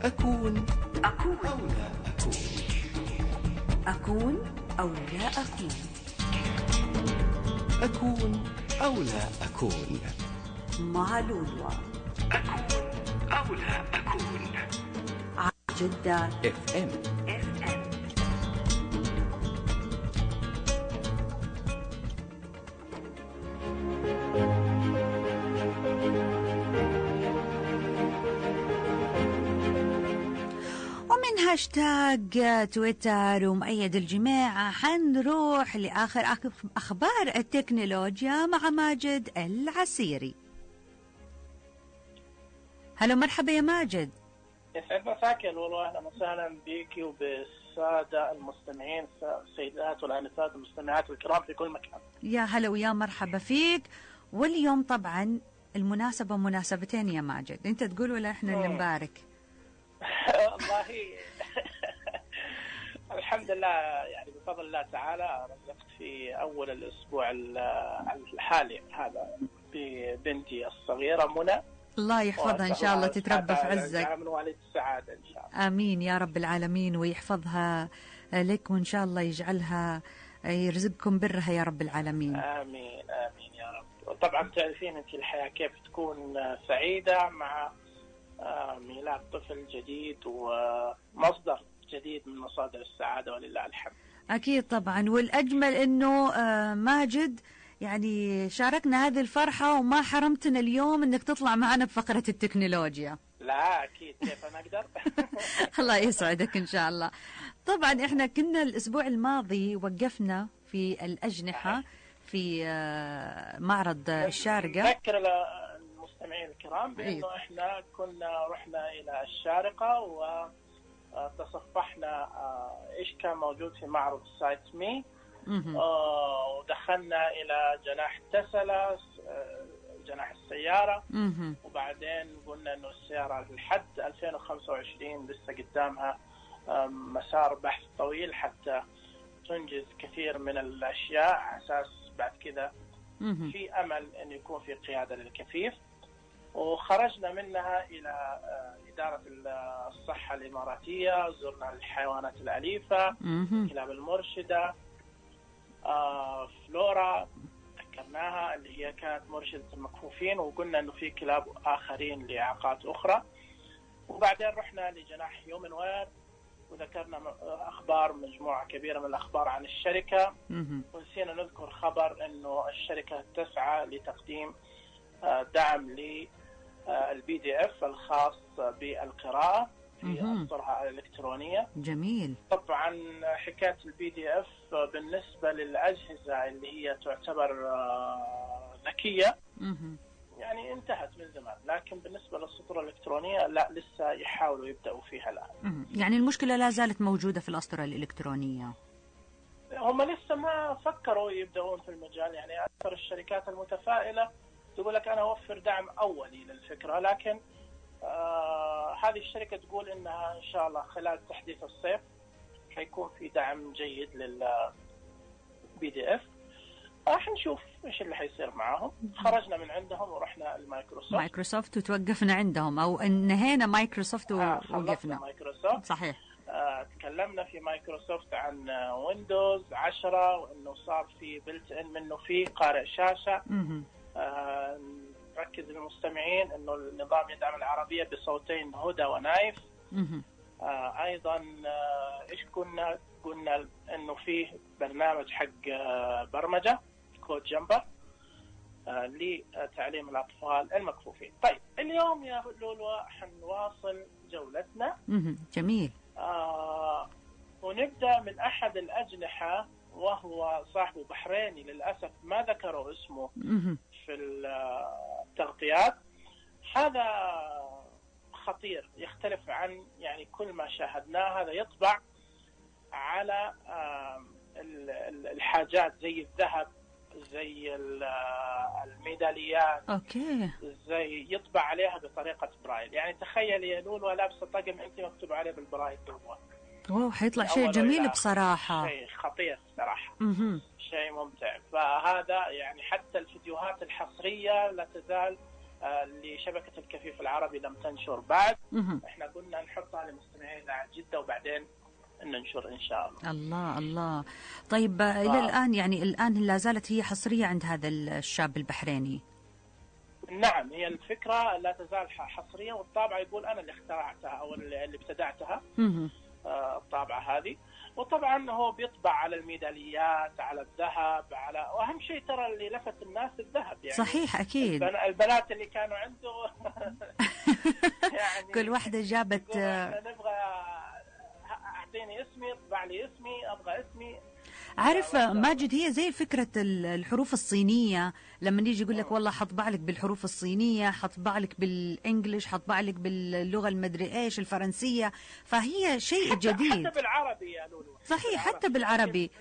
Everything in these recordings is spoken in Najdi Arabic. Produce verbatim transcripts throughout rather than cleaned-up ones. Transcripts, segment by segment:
أكون أكون أو لا أكون أكون أو لا أكون أكون أو لا أكون مع لولو. أكون أو لا أكون على جدة اف ام. ومن هاشتاج تويتر ومؤيد الجماعة حنروح لآخر أخبار التكنولوجيا مع ماجد العسيري. هلا مرحبا يا ماجد. يسعد مساك يا لولو، اهلا وسهلا بك وبالساده المستمعين، السيدات والانسات المستمعات الكرام في كل مكان. يا هلا ويا مرحبا فيك. واليوم طبعا المناسبة مناسبتين يا ماجد، انت تقول ولا احنا اللي نبارك؟ والله الحمد لله، يعني بفضل الله تعالى رزقت في اول الاسبوع الحالي هذا ببنتي الصغيره منى، الله يحفظها إن شاء الله، تتربى في عزك من والد السعادة إن شاء الله. آمين يا رب العالمين، ويحفظها لك وإن شاء الله يجعلها يرزقكم برها يا رب العالمين. آمين آمين يا رب. طبعا تعرفين أنت الحياة كيف تكون سعيدة مع ميلاد طفل جديد ومصدر جديد من مصادر السعادة، ولله الحمد. أكيد طبعا، والأجمل أنه ماجد يعني شاركنا هذه الفرحة وما حرمتنا اليوم انك تطلع معنا بفقرة التكنولوجيا. لا اكيد، كيف انا اقدر. الله يسعدك ان شاء الله. طبعا احنا كنا الاسبوع الماضي وقفنا في الاجنحة في معرض الشارقة. نذكر المستمعين الكرام بانه احنا كنا رحنا الى الشارقة وتصفحنا ايش كان موجود في معرض سايت مي، آه ودخلنا إلى جناح تسلا، جناح السيارة، مم. وبعدين قلنا إنه السيارة لحد ألفين وخمسة وعشرين لسه قدامها مسار بحث طويل حتى تنجز كثير من الأشياء، على أساس بعد كذا في أمل إنه يكون في قيادة للكفيف. وخرجنا منها إلى إدارة الصحة الإماراتية، زرنا الحيوانات الأليفة، كلاب المرشدة، آه فلورا ذكرناها اللي هي كانت مرشدة المكفوفين، وقلنا انه في كلاب اخرين لاعاقات اخرى. وبعدين رحنا لجناح هيومن وير وذكرنا اخبار، مجموعة كبيرة من الاخبار عن الشركة، ونسينا نذكر خبر انه الشركة تسعى لتقديم آه دعم للبي دي اف الخاص بالقراءة في الصفحة الإلكترونية. جميل. طبعا حكاية البي دي اف بالنسبة للأجهزة اللي هي تعتبر ذكية يعني انتهت من زمان، لكن بالنسبة للسطور الإلكترونية لا، لسه يحاولوا يبدأوا فيها الآن. يعني المشكلة لا زالت موجودة في الأسطورة الإلكترونية. هم لسه ما فكروا يبدأون في المجال، يعني أكثر الشركات المتفائلة تقول لك أنا أوفر دعم أولي للفكرة، لكن آه هذه الشركة تقول إنها إن شاء الله خلال تحديث الصيف حيكون في دعم جيد للبي دي اف. راح نشوف إيش اللي حيصير معهم. خرجنا من عندهم ورحنا المايكروسوفت. مايكروسوفت وتوقفنا عندهم، أو انهينا مايكروسوفت ووقفنا. آه مايكروسوفت. صحيح. آه تكلمنا في مايكروسوفت عن ويندوز عشرة، وإنه صار في بلت إن منه في قارئ شاشة. آه ركز للمستمعين انه النظام يدعم العربية بصوتين هدى ونايف. آه ايضا آه ايش كنا قلنا انه فيه برنامج حق آه برمجة كود جمبر آه لتعليم الاطفال المكفوفين. طيب اليوم يا لولو حنواصل جولتنا. جميل. آه ونبدأ من احد الاجنحة، وهو صاحبه بحريني، للأسف ما ذكروا اسمه في التغطيات. هذا خطير، يختلف عن يعني كل ما شاهدناه. هذا يطبع على الحاجات زي الذهب، زي الميداليات، أوكي. زي يطبع عليها بطريقة برايل. يعني تخيل يا لولو لابسة طقم أنت مكتوب عليه بالبرايل جوا. واو، حيطلع شيء جميل بصراحة، شيء خطير صراحة. مه. شيء ممتع. فهذا يعني حتى الفيديوهات الحصرية لا تزال لشبكة الكفيف العربي لم تنشر بعد. مهم. احنا قلنا نحطها لمستمعين إذاعة جدة وبعدين ننشر إن شاء الله. الله الله. طيب آه. إلى الآن يعني الآن لا زالت هي حصرية عند هذا الشاب البحريني؟ نعم، هي الفكرة لا تزال حصرية، والطابعة يقول أنا اللي اخترعتها أو اللي ابتدعتها آه الطابعة هذه. وطبعا هو بيطبع على الميداليات، على الذهب، على واهم شيء ترى اللي لفت الناس الذهب يعني. صحيح اكيد. البنات اللي كانوا عنده يعني كل واحدة جابت نبغى اعطيني اسمي، اطبع لي اسمي، ابغى اسمي. عارف ماجد، هي زي فكرة الحروف الصينية، لما نيجي يقول لك والله حطبع لك بالحروف الصينية، حطبع لك بالإنجليش، حطبع لك باللغة المدري إيش الفرنسية، فهي شيء حتى جديد. حتى بالعربي يا لولو. صحيح حتى بالعربي،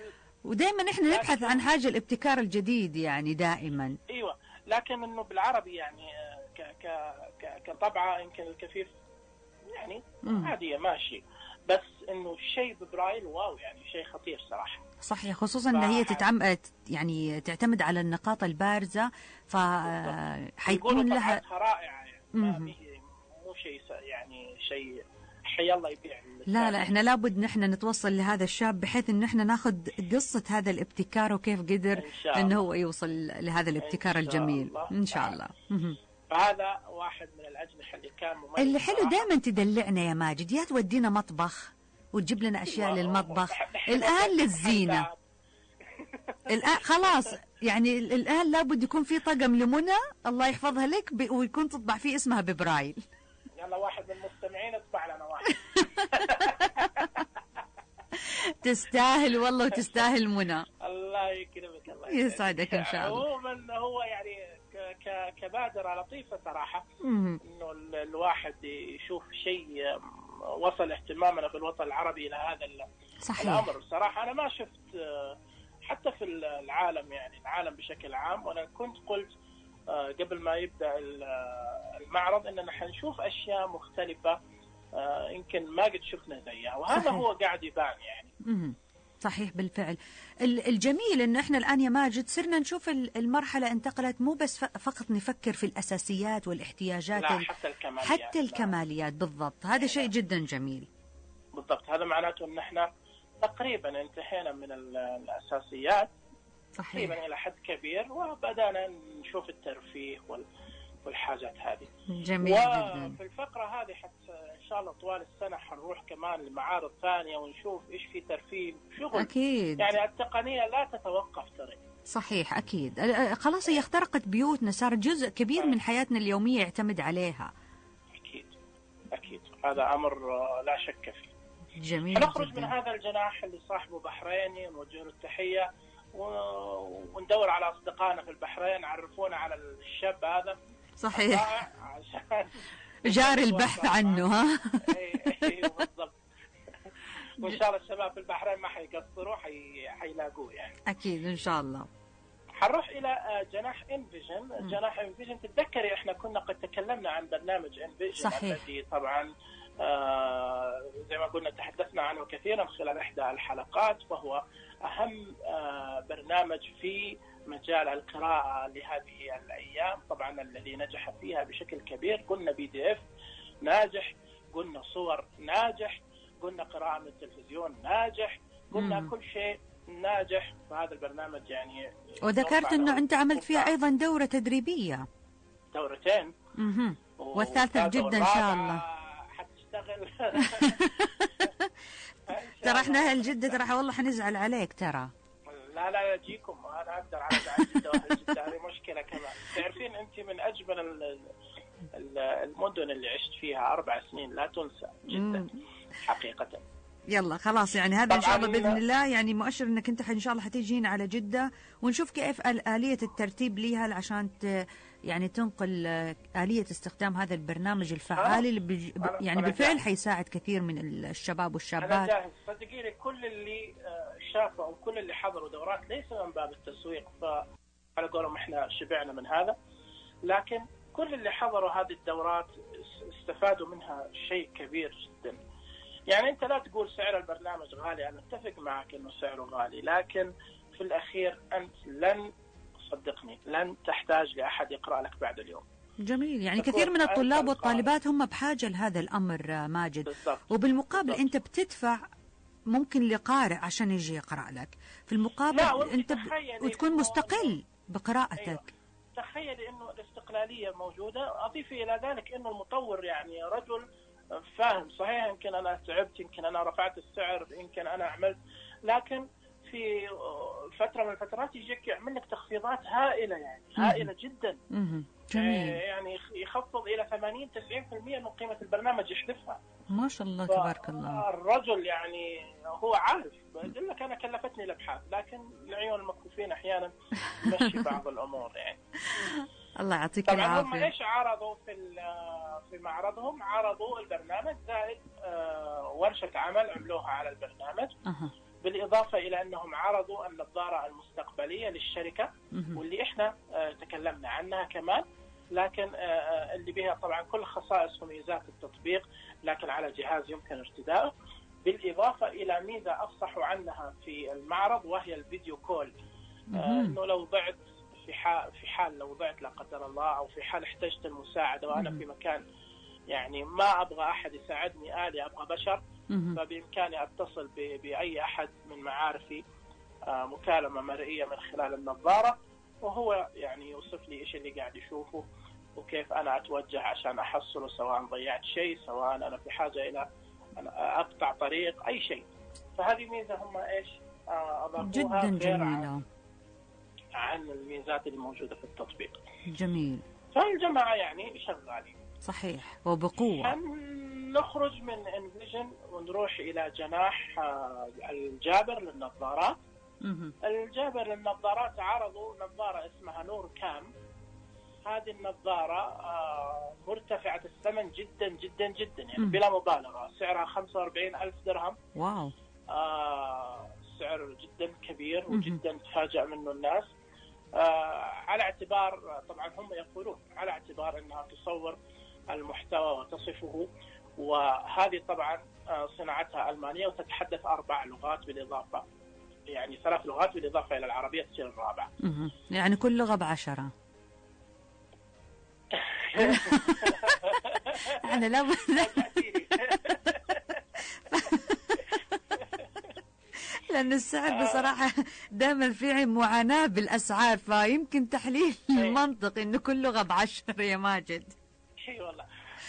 ودائما إحنا نبحث عن حاجة الابتكار الجديد يعني دائما. أيوة، لكن إنه بالعربي يعني ك ك ك كطبعة يمكن الكفيف يعني عادية ماشي، بس إنه شيء ببرايل واو يعني شيء خطير صراحة. صحيح، خصوصا ان هي تتعم... يعني تعتمد على النقاط البارزه، فحيكون لها رائعه يعني. ما مو شيء يعني شيء حي الله يبيع. لا لا، احنا لابد نحن نتوصل لهذا الشاب بحيث ان احنا ناخذ قصه هذا الابتكار وكيف قدر انه هو يوصل لهذا الابتكار إن الجميل ان شاء الله. فهذا واحد من الاجنحه اللي كان مميز. اللي حلو دائما تدلعنا يا ماجد، يا تودينا مطبخ وتجيب لنا أشياء للمطبخ، الآن للزينة. الآن خلاص يعني الآن لابد يكون في طقم لمنى الله يحفظها لك ب... ويكون تطبع فيه اسمها ببرايل. يلا واحد من المستمعين اطبع لنا واحد. تستاهل والله وتستاهل منى. الله يكرمك، الله يسعدك إن شاء الله. عموما هو يعني ك... ك... كبادرة لطيفة صراحة، إنه الواحد يشوف شيء وصل اهتمامنا في الوطن العربي إلى هذا صحيح. الأمر. صراحة أنا ما شفت حتى في العالم يعني العالم بشكل عام، وأنا كنت قلت قبل ما يبدأ المعرض إننا حنشوف أشياء مختلفة يمكن ما قد شفنا زيها، وهذا صحيح. هو قاعد يبان يعني. مم. صحيح بالفعل. الجميل انه احنا الان يا ماجد صرنا نشوف المرحله انتقلت، مو بس فقط نفكر في الاساسيات والاحتياجات، لا حتى الكماليات، حتى الكماليات لا. بالضبط، هذا شيء جدا جميل. بالضبط، هذا معناته ان احنا تقريبا انتهينا من الاساسيات صحيح. تقريبا الى حد كبير، وبدانا نشوف الترفيه وال والحاجات هذه. جميل جدا. وفي الفقرة هذه حتى إن شاء الله طوال السنة حنروح كمان لمعارض ثانية ونشوف إيش في ترفيه شغل. أكيد. يعني التقنية لا تتوقف ترى. صحيح أكيد. خلاص هي اخترقت بيوتنا، صار جزء كبير من حياتنا اليومية يعتمد عليها. أكيد أكيد، هذا أمر لا شك فيه. جميل. نخرج جدا. من هذا الجناح اللي صاحبه بحريني ونوجه له التحية، وندور على أصدقائنا في البحرين، عرفونا على الشاب هذا. صحيح. جاري البحث عنه. ها. ايوه بالضبط. وان شاء الله الشباب في البحرين ما حيقصروا، حي... حيلاقوه يعني. اكيد ان شاء الله. حنروح الى جناح انفيجن. جناح انفيجن تتذكري احنا كنا قد تكلمنا عن برنامج انفيجن الذي طبعا آه زي ما قلنا تحدثنا عنه كثيرا خلال احدى الحلقات، وهو اهم آه برنامج في مجال القراءة لهذه الأيام. طبعا الذي نجح فيها بشكل كبير، قلنا بي دي اف ناجح، قلنا صور ناجح، قلنا قراءة من التلفزيون ناجح، قلنا مم. كل شيء ناجح. فهذا البرنامج يعني، وذكرت أنه أنت عملت فيها أيضا دورة تدريبية. دورتين. مم. والثالثة جدا إن شاء الله حتشتغل. ترى احنا أهل جدة ترى والله حنزعل عليك ترى. لا لا يجيكم، أنا أقدر على جدة وأهل جدة، هذه مشكلة كمان. تعرفين أنت من أجمل المدن اللي عشت فيها أربع سنين، لا تنسى جدا حقيقة. يلا خلاص يعني هذا إن شاء الله بإذن الله يعني مؤشر أنك أنت إن شاء الله حتيجينا على جدة، ونشوف كيف آلية الترتيب ليها عشان يعني تنقل آلية استخدام هذا البرنامج الفعال اللي بج... يعني بالفعل حيساعد كثير من الشباب والشابات. أنا جاهز صدقيني. كل اللي شافوا أو كل اللي حضروا دورات ليس من باب التسويق، فعلى قولهم إحنا شبعنا من هذا، لكن كل اللي حضروا هذه الدورات استفادوا منها شيء كبير جدا. يعني أنت لا تقول سعر البرنامج غالي، أنا أتفق معك إنه سعره غالي، لكن في الأخير أنت لن صدقني لن تحتاج لأحد يقرأ لك بعد اليوم. جميل. يعني كثير من الطلاب والطالبات هم بحاجة لهذا الأمر ماجد. بالضبط. وبالمقابل بالضبط. أنت بتدفع ممكن لقارئ عشان يجي يقرأ لك، في المقابل أنت ب... وتكون مستقل بقراءتك. أيوة. تخيلي أنه الاستقلالية موجودة. أضيفي إلى ذلك أنه المطور يعني رجل فاهم. صحيح يمكن أنا تعبت، يمكن أنا رفعت السعر، يمكن أنا عملت، لكن في فترة من الفترات يجيك يعمل لك تخفيضات هائلة، يعني هائلة جدا. جميل. يعني يخفض إلى ثمانين تسعين بالمئة من قيمة البرنامج يحذفها. ما شاء الله تبارك الله. الرجل يعني هو عارف. بقول لك أنا كلفتني الأبحاث، لكن العيون المكفوفين أحيانا تمشي بعض الأمور يعني. الله يعطيك العافية. طبعا هم إيش عرضوا في في معرضهم؟ عرضوا البرنامج زائد ورشة عمل عملوها على البرنامج. أه. بالإضافة إلى أنهم عرضوا النظارة المستقبلية للشركة، واللي إحنا تكلمنا عنها كمان، لكن اللي بها طبعا كل خصائص وميزات التطبيق، لكن على جهاز يمكن ارتداؤه. بالإضافة إلى ميزة أفصحوا عنها في المعرض، وهي الفيديو كول. إنه لو ضعت في حال في حال لو ضعت لا قدر الله، أو في حال احتجت المساعدة وأنا في مكان يعني ما أبغى أحد يساعدني آلي، أبغى بشر، فبإمكاني أتصل بأي أحد من معارفي مكالمة مرئية من خلال النظارة، وهو يعني يوصف لي إيش اللي قاعد يشوفه وكيف أنا أتوجه عشان أحصله، سواء ضيعت شيء، سواء أنا في حاجة إلى أن أقطع طريق، أي شيء. فهذه ميزة هم إيش أضافوها جدا جميلة عن, عن الميزات اللي موجودة في التطبيق. جميل. فالجماعة يعني شغالين. صحيح وبقوة. نخرج من انفيجن ونروح إلى جناح الجابر للنظارات. الجابر للنظارات عرضوا نظارة اسمها نور كام. هذه النظارة مرتفعة الثمن جدا جدا جدا، يعني بلا مبالغة. سعرها خمسة وأربعين ألف درهم. واو. آه سعر جدا كبير وجدا تفاجأ منه الناس. آه على اعتبار، طبعا هم يقولون على اعتبار أنها تصور المحتوى وتصفه، وهذه طبعا صناعتها ألمانية وتتحدث أربع لغات بالإضافة، يعني ثلاث لغات بالإضافة إلى العربية تصير الرابعة. يعني كل لغة بعشرة. أنا لا لأن السعر بصراحة دائما في معاناة بالأسعار، فيمكن تحليل المنطق إنه كل لغة بعشرة يا ماجد. اي والله.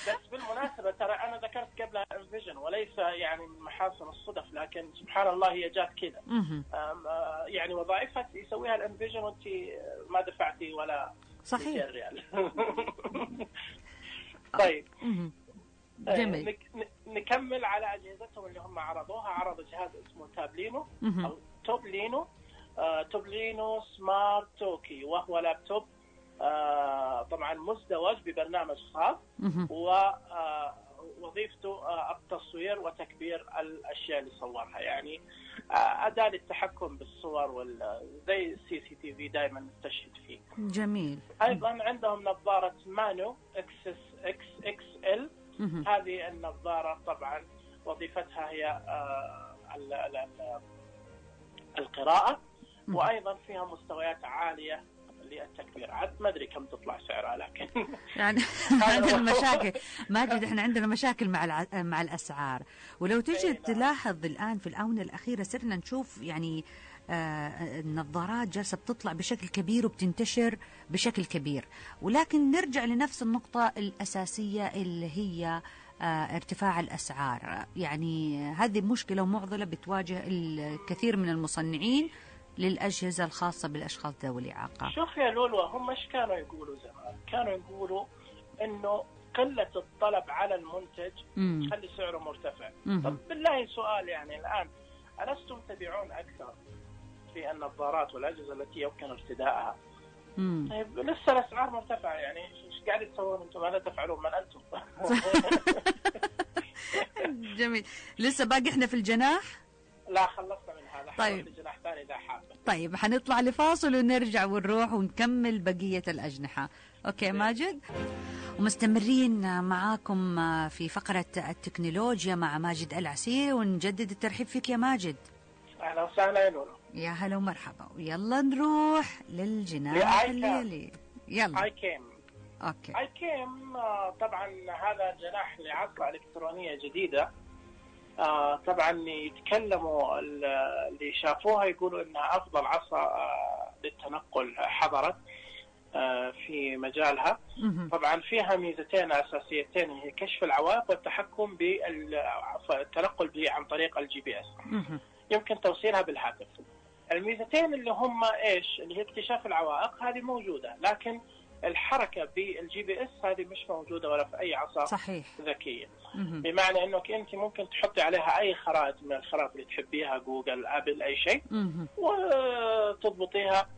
بس بالمناسبة ترى أنا ذكرت قبلها انفيجن، وليس يعني من محاسن الصدف، لكن سبحان الله هي جات كذا. يعني وظائفها يسويها الانفيجن وانت ما دفعتي ولا صحيح ريال. طيب جميل. نكمل على أجهزتهم اللي هم عرضوها. عرضوا جهاز اسمه تابلينو أو توبلينو. آه توبلينو سمارت توكي، وهو لابتوب آه طبعا مزدوج ببرنامج خاص، ووظيفته آه التصوير وتكبير الأشياء اللي صورها، يعني آه أداة للتحكم بالصور وال زي السي سي تي في دائما نستشهد فيه. جميل. أيضا عندهم نظارة مانو اكس اكس اكس ال. هذه النظارة طبعا وظيفتها هي آه ال ال ال القراءة، وأيضا فيها مستويات عالية للتكبير. عاد ما أدري كم تطلع سعرها، لكن يعني عندنا مشاكل ماجد، احنا عندنا مشاكل مع الع... مع الأسعار. ولو تجي تلاحظ الآن في الآونة الأخيرة صرنا نشوف يعني آه النظارات جالسة بتطلع بشكل كبير وبتنتشر بشكل كبير، ولكن نرجع لنفس النقطة الأساسية اللي هي آه ارتفاع الأسعار. يعني هذه مشكلة ومعضلة بتواجه الكثير من المصنعين للأجهزة الخاصة بالأشخاص ذوي الإعاقة. شوف يا لولو، هم ايش كانوا يقولوا زمان؟ كانوا يقولوا إنه قلة الطلب على المنتج تخلي سعره مرتفع. مم. طب بالله سؤال، يعني الآن ألستم تبيعون أكثر في النظارات والأجهزة التي يمكن ارتدائها؟ طيب لسه الأسعار مرتفعة، يعني ايش قاعد تسوون أنتم؟ ماذا تفعلون؟ من أنتم؟ جميل. لسه باقي احنا في الجناح؟ لا خلصنا من هذا. طيب. الجناح ثاني إذا حابة. طيب حنطلع لفاصل ونرجع ونروح ونكمل بقية الأجنحة. أوكي ماجد؟ ومستمرين معاكم في فقرة التكنولوجيا مع ماجد العسير، ونجدد الترحيب فيك يا ماجد. أهلا وسهلا يا نورو. يا هلا ومرحبا. ويلا نروح للجناح الليلي. يلا. I came. اوكي. اي كيم طبعا هذا جناح لعصا الكترونيه جديده. آه طبعا يتكلموا اللي شافوها يقولوا انها افضل عصا آه للتنقل حضرت آه في مجالها. طبعا فيها ميزتين اساسيتين، هي كشف العوائق والتحكم بالتنقل عن طريق الجي بي اس. يمكن توصيلها بالهاتف. الميزتين اللي هم ايش؟ اللي هي اكتشاف العوائق هذه موجوده، لكن الحركه بالجي بي اس هذه مش موجوده ولا في اي عصا صحيح ذكيه. بمعنى انك انت ممكن تحطي عليها اي خرائط من الخرائط اللي تحبيها، جوجل، ابل، اي شيء، وتضبطيها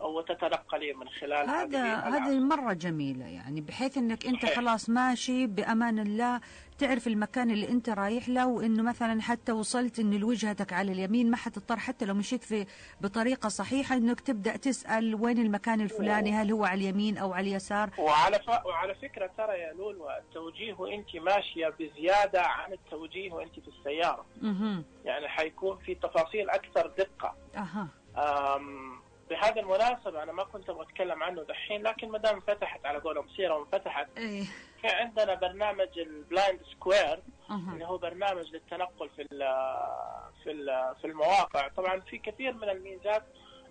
وتتنقلي من خلال هذا. هذه مرة جميلة، يعني بحيث انك انت صحيح. خلاص ماشي بامان الله، تعرف المكان اللي انت رايح له، وانه مثلا حتى وصلت ان وجهتك على اليمين، ما حتضطر حتى لو مشيت في بطريقة صحيحة انك تبدأ تسأل وين المكان الفلاني، هل هو على اليمين او على اليسار. وعلى ف... وعلى فكرة ترى يا لولو، التوجيه وانت ماشية بزيادة عن التوجيه وانت في السيارة. اها يعني حيكون في تفاصيل اكثر دقة. اها أم... بهذا المناسبة أنا ما كنت أبغى أتكلم عنه دحين، لكن ما دام فتحت على قولهم سيرة وانفتحت، ايه في عندنا برنامج البلايند سكوير أه. اللي هو برنامج للتنقل في ال في ال في المواقع. طبعا في كثير من الميزات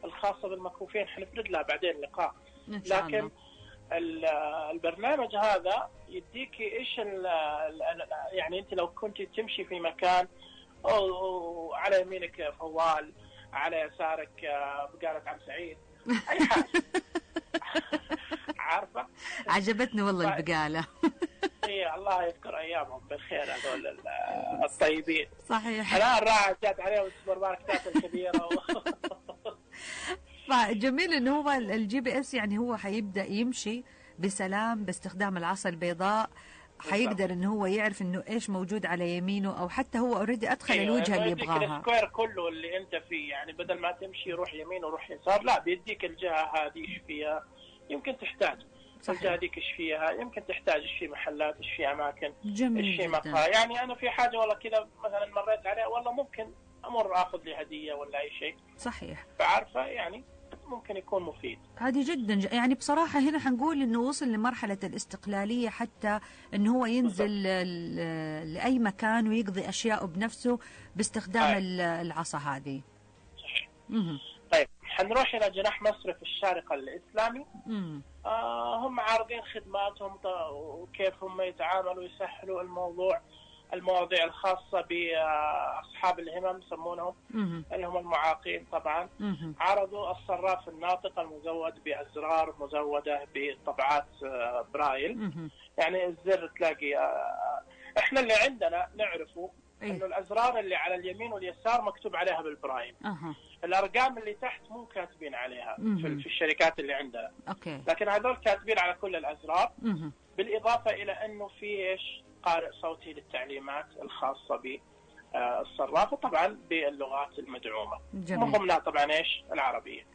الخاصة بالمكفوفين حنفرد لها بعدين لقاء، لكن البرنامج هذا يديكي ايش يعني انت لو كنت تمشي في مكان او على يمينك فوال، على يسارك بقالة عم سعيد، أي حاجة. عارفة؟ عجبتني والله البقالة. إيه الله يذكر أيامهم بالخير هذول الطيبين. صحيح. الآن راحت جات عليهم السوبر ماركتات الكبيرة. و... فجميل إنه هو الجي بي إس يعني هو حيبدأ يمشي بسلام باستخدام العصا البيضاء، حيقدر انه هو يعرف انه ايش موجود على يمينه، او حتى هو اوريدي ادخل أيوة الوجهه اللي يبغاها. السكوير كله اللي انت فيه، يعني بدل ما تمشي روح يمين وروح يسار، لا بيديك الجهه هذه ايش فيها، يمكن تحتاج الجهه هذيك ايش فيها، يمكن تحتاج ايش في محلات، ايش في اماكن، جميل ايش في جدا. مقهى. يعني انا في حاجه والله كذا مثلا مريت عليها، والله ممكن امر اخذ لي هديه ولا اي شيء. صحيح. فعارفه يعني ممكن يكون مفيد. هذه جدا ج... يعني بصراحة هنا حنقول انه وصل لمرحلة الاستقلالية، حتى انه هو ينزل ل... لأي مكان ويقضي أشياء بنفسه باستخدام آه. العصا هذه. صحيح. طيب حنروح إلى جناح مصرف الشارقة الإسلامي. آه هم عارضين خدماتهم وكيف هم يتعاملوا ويسهلوا الموضوع، المواضيع الخاصة بأصحاب الهمم يسمونهم، اللي هم المعاقين طبعا. مم. عرضوا الصراف الناطق المزود بأزرار مزودة بطبعات برايل. مم. يعني الزر تلاقي احنا اللي عندنا نعرفه إيه؟ انه الأزرار اللي على اليمين واليسار مكتوب عليها بالبرايل. أه. الأرقام اللي تحت مو كاتبين عليها مم. في الشركات اللي عندنا. أوكي. لكن هذول كاتبين على كل الأزرار. مم. بالإضافة إلى أنه في إيش قارئ صوتي للتعليمات الخاصة بالصراف، وطبعا باللغات المدعومة، من ضمنها طبعا إيش العربية.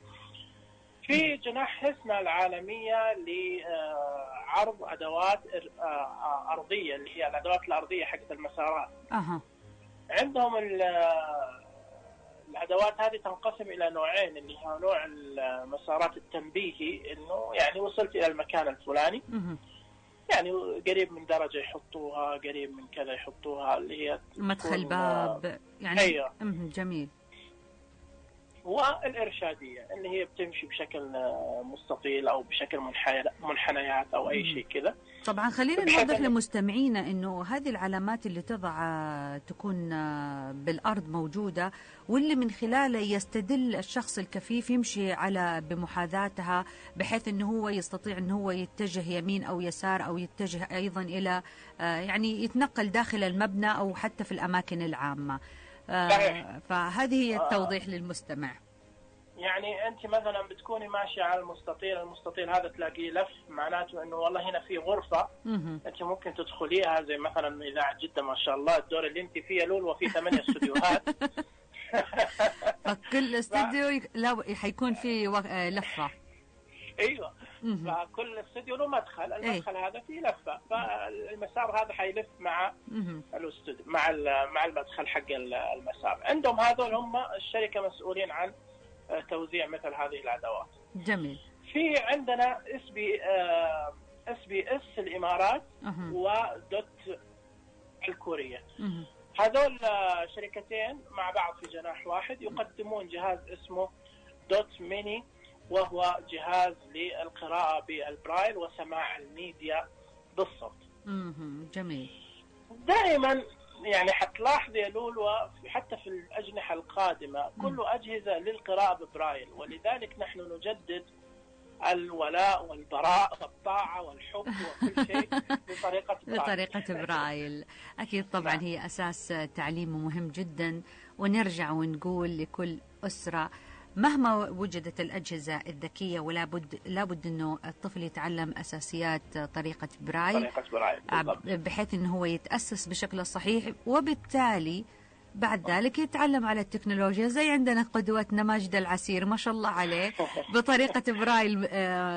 في جناح حسنة العالمية لعرض أدوات أرضية، اللي هي الأدوات الأرضية حقت المسارات. أه. عندهم الأدوات هذه تنقسم إلى نوعين، اللي هو نوع المسارات التنبيهي، إنه يعني وصلت إلى المكان الفلاني، مم. يعني قريب من درجة يحطوها، قريب من كذا يحطوها، اللي هي مدخل باب يعني. أيوة. جميل. والإرشادية اللي هي بتمشي بشكل مستطيل أو بشكل منحنيات أو أي شيء كذا. طبعا خلينا نوضح لمستمعينا أنه هذه العلامات اللي تضع تكون بالأرض موجودة، واللي من خلاله يستدل الشخص الكفيف يمشي على بمحاذاتها، بحيث أنه هو يستطيع أنه هو يتجه يمين أو يسار، أو يتجه أيضا إلى يعني يتنقل داخل المبنى أو حتى في الأماكن العامة. فهذه هي التوضيح للمستمع. يعني أنت مثلا بتكوني ماشية على المستطيل، المستطيل هذا تلاقيه لف، معناته إنه والله هنا في غرفة مم. أنت ممكن تدخليها، زي مثلا إذاعة جدة ما شاء الله الدور اللي أنت فيه لول، وفي ثمانية استوديوهات. فكل استوديو لا حيكون فيه لفة. ايوه. فكل استوديو له مدخل، المدخل أيه؟ هذا فيه لفه، فالمسار هذا حيلف مع الاستوديو، مع مع المدخل حق المسار. عندهم هذول هم الشركه مسؤولين عن توزيع مثل هذه الادوات. جميل. في عندنا اس بي اس بي اس الامارات أها. ودوت الكورية. أها. هذول شركتين مع بعض في جناح واحد يقدمون جهاز اسمه دوت ميني، وهو جهاز للقراءة بالبرايل وسماع الميديا بالصوت. مهم. جميل. دائما يعني حتلاحظ يا لولو حتى في الأجنحة القادمة كله أجهزة للقراءة ببرايل، ولذلك نحن نجدد الولاء والبراء والطاعة والحب وكل شيء بطريقة برايل. بطريقة برايل أكيد طبعا. هي أساس تعليم مهم جدا. ونرجع ونقول لكل أسرة مهما وجدت الأجهزة الذكية ولا بد لابد أنه الطفل يتعلم أساسيات طريقة برايل، طريقة برايل بحيث أنه هو يتأسس بشكل الصحيح، وبالتالي بعد ذلك يتعلم على التكنولوجيا. زي عندنا قدوتنا ماجد العسير ما شاء الله عليه بطريقة برايل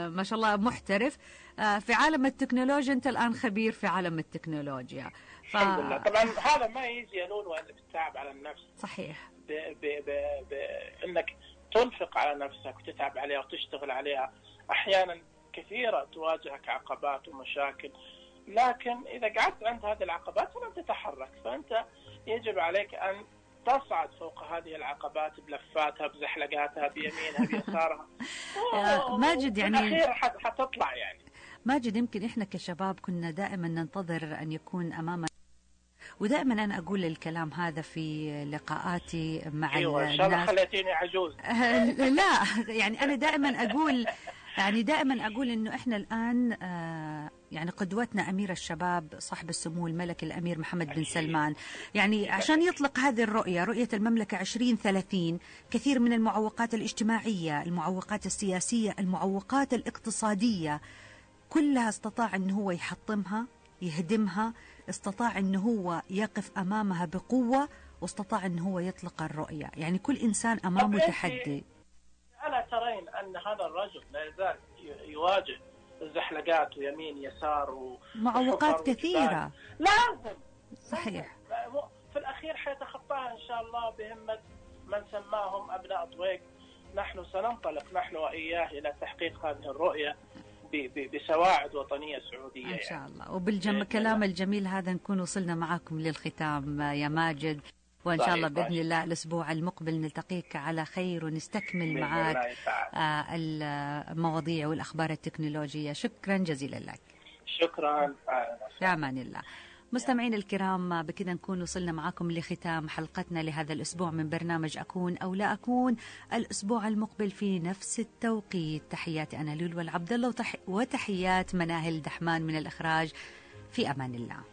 ما شاء الله محترف في عالم التكنولوجيا. أنت الآن خبير في عالم التكنولوجيا. ف... الحمد لله. طبعا هذا ما يجي يا لولو إلا بالتعب على النفس. صحيح. ب... ب... ب... ب... إنك تنفق على نفسك وتتعب عليها وتشتغل عليها. أحيانا كثيرة تواجهك عقبات ومشاكل، لكن إذا قعدت عند هذه العقبات فلن تتحرك. فأنت يجب عليك أن تصعد فوق هذه العقبات بلفاتها بزحلقاتها بيمينها بيسارها. ماجد يعني الأخير حتطلع يعني. ماجد يمكن إحنا كشباب كنا دائما ننتظر أن يكون أمامنا، ودائما أنا أقول الكلام هذا في لقاءاتي مع أيوة الناس. إن شاء الله خليتيني عجوز. لا يعني أنا دائما أقول يعني دائما أقول إنه إحنا الآن آه يعني قدوتنا أمير الشباب صاحب السمو الملك الأمير محمد بن سلمان. يعني عشان يطلق هذه الرؤية، رؤية المملكة عشرين ثلاثين، كثير من المعوقات الاجتماعية، المعوقات السياسية، المعوقات الاقتصادية كلها استطاع إنه هو يحطمها، يهدمها، استطاع إنه هو يقف أمامها بقوة، واستطاع إنه هو يطلق الرؤية. يعني كل إنسان أمامه تحدي. ألا ترين أن هذا الرجل لا يزال يواجه الزحلقات ويمين يسار ومعوقات كثيرة؟ لازم. صحيح. في الأخير حيتخطاها إن شاء الله بهمة من سماهم أبناء طويق. نحن سننطلق نحن وإياه إلى تحقيق هذه الرؤية بسواعد وطنية سعودية إن شاء الله. وبالكلام الجميل هذا نكون وصلنا معكم للختام يا ماجد، وإن شاء الله بإذن الله الأسبوع المقبل نلتقيك على خير ونستكمل معك المواضيع والأخبار التكنولوجية. شكرا جزيلا لك. شكرا. في أمان الله. مستمعين الكرام، بكذا نكون وصلنا معكم لختام حلقتنا لهذا الأسبوع من برنامج أكون أو لا أكون. الأسبوع المقبل في نفس التوقيت. تحياتي أنا لولو العبد الله وتحيات مناهل دحمان من الإخراج. في أمان الله.